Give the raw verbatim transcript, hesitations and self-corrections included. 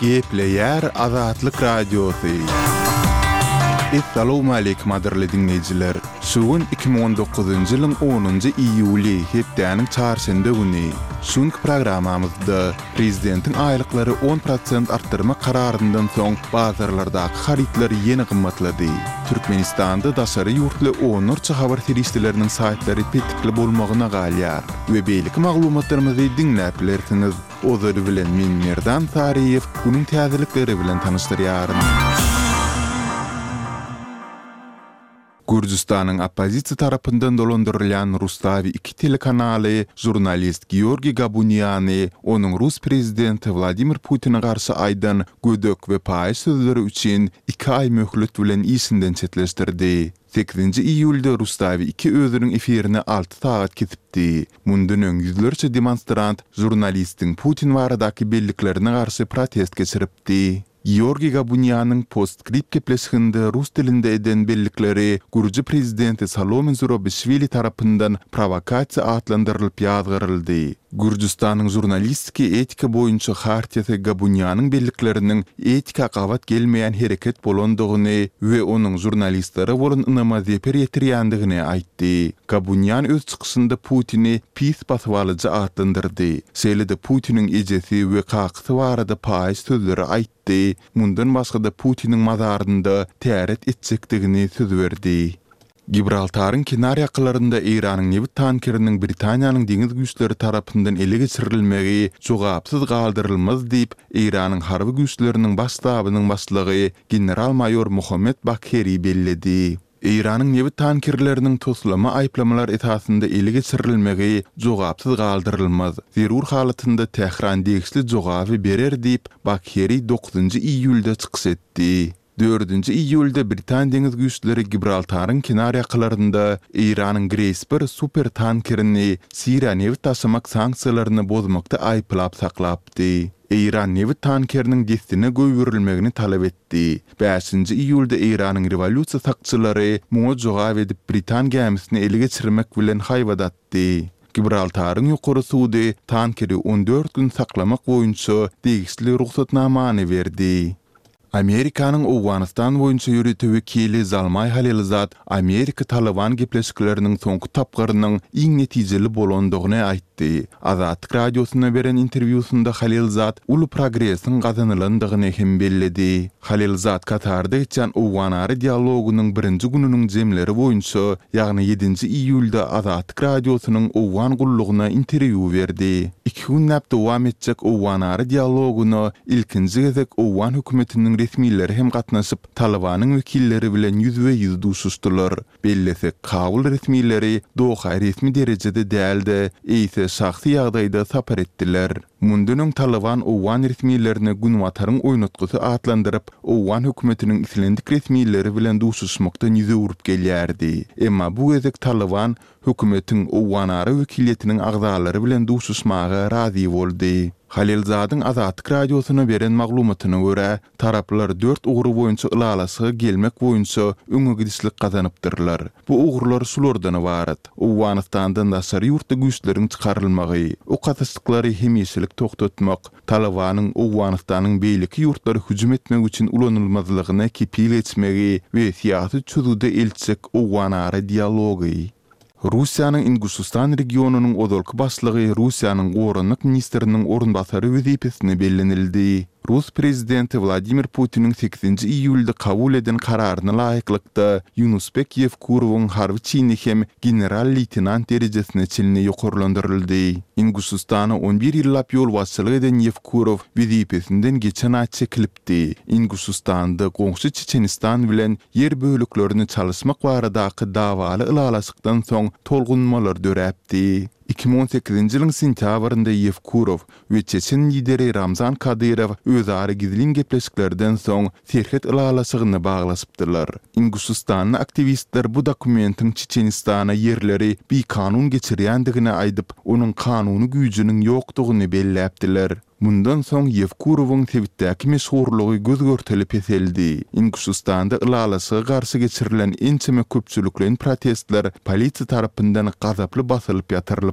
Gepleýär Azatlyk Radiosy. Essalawmaleýkim gadyrly diňleýjiler! Şu gün iki müň on dokuzynjy ýylyň onunjy iýuly, hepdäniň çarşenbe güni. Şu günki programmamyzda Prezidentiň aýlyklary on prosent artdyrmak kararyndan soň bazarlardaky harytlar ýene gymmatlady. Türkmenistanda daşary ýurtly onlarça habar serişdeleriniň saýtlary petikli bolmagyna galýar we beýleki maglumatlarymyzy diňläp bilersiňiz. Ozaly bilen men Merdan Saryýew günüň täzelikleri bilen tanyşdyrýaryn. Gürjüstanyň oppozisiýa tarapyndan dolandyrylýan Rustawi iki telekanaly žurnalist Georgiý Gabuniany onuň rus prezidenti Wladimir Putine garşy aýdan gödek we paýyş sözleri üçin iki aý möhlet bilen işinden çetleşdirdi. Sekizinji iýulda Rustawi iki özüniň efirini alty sagat kesipdi. Mundan öň ýüzlerçe demonstrant žurnalistiň Putin baradaky belliklerine garşy protest geçiripdi. Georgiý Gabunianyň Postscript gepleşiginde rus dilinde eden bellikleri gürji prezidenti Salome Zurabişwili tarapyndan prowokasiýa atlandyrylyp ýazgaryldy. Gürjüstanyň žurnalistiki etika boýunça hartiýasy Gabunianyň bellikleriniň etika gabat gelmeýän hereket bolandygyny we onuň žurnalistlere bolan ynama zeper ýetirýändigini aýtdy. Gabunian öz çykyşynda Putini pis basybalyjy atlandyrdy, şeýle-de Putiniň ejesi we kakasy barada paýyş sözleri aýtdy, mundan başga-da Putiniň mazarynda täret etjekdigini söz berdi. Gibraltaryň kenar ýakalarynda Eýranyň nebit tankeriniň Britaniýanyň deňiz güýçleri tarapyndan ele geçirilmegi jogapsyz galdyrylmaz diýip, Eýranyň harby güýçleriniň baş ştabynyň başlygy general-maýor Mohammed Bagheri belledi. Eýranyň nebit tankerleriniň toslama aýyplamalar esasynda ele geçirilmegi jogapsyz galdyrylmaz. Zerur halatynda Tähran degişli jogaby berer diýip, Bagheri dokuzynjy iýulda çykyş etdi. Dördünji iýulda britan deňiz güýçleri Gibraltaryň kenar ýakalarynda Eýranyň Grace bir super tankerini Siriýa nebit daşamak sanksiýalaryny bozmakda aýyplap saklapdy. Eýran nebit tankeriniň dessine goýberilmegini talap etdi. Bäşinji iýulda Eýranyň rewolýusiýa sakçylary muňa jogap edip britan gämisini ele geçirmek bilen haýbat atdy. Gibraltaryň ýokary sudy tankeri on dört gün saklamak boýunça degişli rugsatnamany berdi. Amerikanyň Owganystan boýunça ýörite wekili Zalmaý Halilzad Amerika-Talyban gepleşikleriniň soňky tapgyrynyň iň netijeli bolandygyny aýtdy. Azatlyk Radiosyna beren interwýusynda Halilzad uly progresiň gazanylandygyny hem belledi. Halilzad Katarda geçýän owganara dialogynyň birinji gününiň jemleri boýunça, ýagny ýedinji iýulda Azatlyk Radiosynyň Owgan gullugyna interwýu berdi. Iki günläp dowam etjek owganara dialogyna ilkinji gezek owgan hökümetiniň resmileri hem gatnaşyp, Talybanyň wekilleri bilen ýüzbe-ýüz duşuşdylar. Bellesek, Kabul resmileri Doha resmi derejede däl-de, eýse şahsy ýagdaýda sapar etdiler. Mundan öň Talyban owgan resmilerini Günbataryň oýnatgysy atlandyryp, owgan hökümetiniň islendik resmileri bilen duşuşmakdan ýüz öwrüp gelýärdi. Emma bu gezek Talyban hökümetiň owganara wekiliýetiniň agzalary bilen duşuşmaga razy boldy. Halilzadyň Azatlyk Radiosyna beren maglumatyna görä, taraplar dört ugry boýunça ylalaşyga gelmek boýunça öňe gidişlik gazanypdyrlar. Bu ugurlar şulardan ybarat, Owganystandan daşary ýurtly güýçleriň çykarylmagy, ok atyşyklary hemişelik togtatmak, Talybanyň Owganystanyň beýleki ýurtlara hüjüm etmek üçin ulanylmazlygyna kepil geçmegi we syýasy çözgüde eltjek owganara dialogy. Russiýanyň Inguşystan regionynyň ozalky başlygy Russiýanyň goranmak ministriniň orunbasary wezipesine bellenildi. Rus prezidenti Wladimir Putiniň sekizinji iýulda kabul eden kararyna laýyklykda, Ýunusbek Ýewkurowyň harby çini hem general-leýtenant derejesine çenli ýokarlandyryldy. Inguşystana on bir ýyllap ýolbaşçylyk eden Ýewkurow wezipesinden geçen aý çekilipdi. Inguşystanda goňşy Çeçenistan bilen ýer böleklerini çalyşmak baradaky dawaly ylalaşykdan soň tolgunmalar döräpdi. Iki müň on sekizinji ýylyň sentýabrynda Ýewkurow we çeçen lideri Ramzan Kadyrow özara gizlin gepleşiklerden soň serhet ylalaşygyny baglaşypdylar. Inguşystanly aktiwistler bu dokumentiň Çeçenistana ýerleri bikanun geçirýändigini aýdyp, onuň kanuny güýjüniň ýokdugyny belläpdiler. Mundan soň Ýewkurowyň sebitdäki meşhurlygy göz-görtele peseldi. Inguşystanda ylalaşyga garşy geçirilen ençeme köpçülikleýin protestler polisiýa tarapyndan gazaply basylyp ýatyrylypdy.